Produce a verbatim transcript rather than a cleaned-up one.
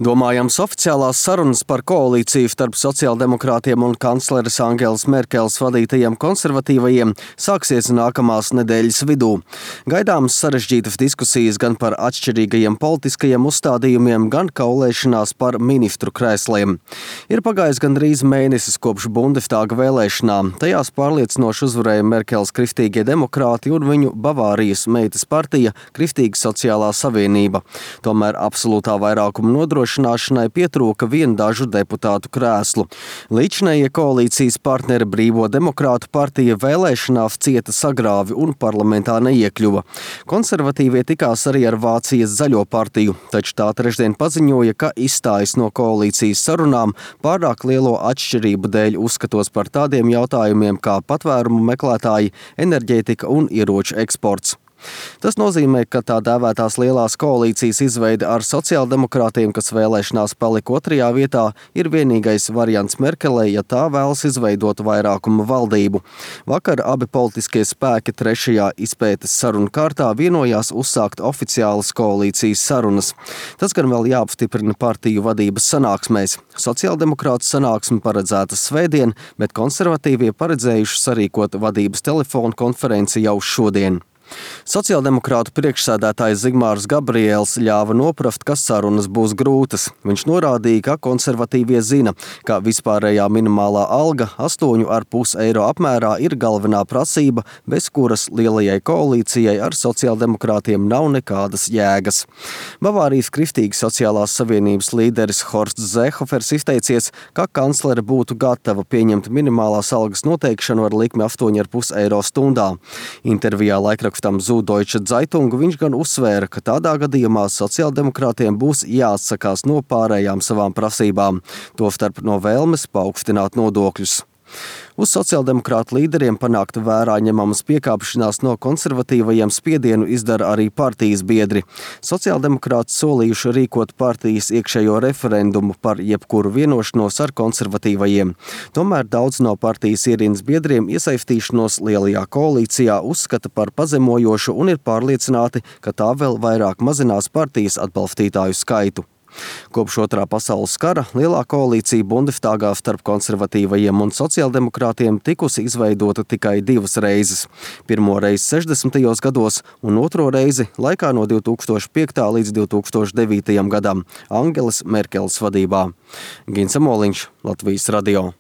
Domājams, oficiālās sarunas par koalīciju starp sociāldemokrātiem un kancleres Angelas Merkeles vadītajiem konservatīvajiem sāksies nākamās nedēļas vidū. Gaidāmas sarežģītas diskusijas gan par atšķirīgajiem politiskajiem uzstādījumiem, gan kaulēšanās par ministru krēsliem. Ir pagājis gandrīz mēnesis kopš Bundestāga vēlēšanām. Tajās pārliecinoši uzvarēja Merkeles Kristīgie demokrāti un viņu Bavārijas meitas partija Kristīga sociālā savienība. Tomēr absolūtā vairākuma nodrošināšanai pietrūka vien dažu deputātu krēslu. Līdzinējie koalīcijas partneri Brīvo demokrātu partija vēlēšanās cieta sagrāvi un parlamentā neiekļuva. Konservatīvie tikās arī ar Vācijas zaļo partiju, taču tā trešdien paziņoja, ka izstājas no koalīcijas sarunām pārāk lielo atšķirību dēļ uzskatos par tādiem jautājumiem kā patvērumu meklētāji, enerģētika un ieroču eksports. Tas nozīmē, ka tā dēvētās lielās koalīcijas izveide ar sociāldemokrātiem, kas vēlēšanās palika otrajā vietā, ir vienīgais variants Merkelei, ja tā vēlas izveidot vairākumu valdību. Vakar abi politiskie spēki trešajā izpētes sarunu kārtā vienojās uzsākt oficiālas koalīcijas sarunas. Tas gan vēl jāapstiprina partiju vadības sanāksmēs. Sociāldemokrātu sanāksme paredzēta svētdien, bet konservatīvie paredzējuši sarīkot vadības telefonu konferenci jau šodien. Sociāldemokrātu priekšsēdētājs Zigmārs Gabriels ļāva noprast, ka sarunas būs grūtas. Viņš norādīja, ka konservatīvie zina, ka vispārējā minimālā alga astoņi ar pus eiro apmērā ir galvenā prasība, bez kuras lielajai koalīcijai ar sociāldemokrātiem nav nekādas jēgas. Bavārijas Kristīgas sociālās savienības līderis Horsts Zēhofers izteicies, ka kanclere būtu gatava pieņemt minimālās algas noteikšanu ar likmi astoņi ar pus eiro stundā. Intervijā laikrakstam Süddeutsche Zeitung viņš gan uzsvēra, ka tādā gadījumā sociāldemokrātiem būs jāatsakās no pārējām savām prasībām, tostarp no vēlmes paaugstināt nodokļus. Uz sociāldemokrātu līderiem panākt vērā ņemamas piekāpšanās no konservatīvajiem spiedienu izdara arī partijas biedri. Sociāldemokrāti solījuši rīkot partijas iekšējo referendumu par jebkuru vienošanos ar konservatīvajiem. Tomēr daudz no partijas ierindas biedriem iesaistīšanos lielajā koalīcijā uzskata par pazemojošu un ir pārliecināti, ka tā vēl vairāk mazinās partijas atbalstītāju skaitu. Kopš otrā pasaules kara lielā koalīcija Bundestāgā starp konservatīvajiem un sociāldemokrātiem tikusi izveidota tikai divas reizes. Pirmo reizi sešdesmitajos gados un otro reizi laikā no divi tūkstoši piektajā līdz divi tūkstoši devītajam gadam Angelas Merkeles vadībā. Gins Amoliņš, Latvijas radio.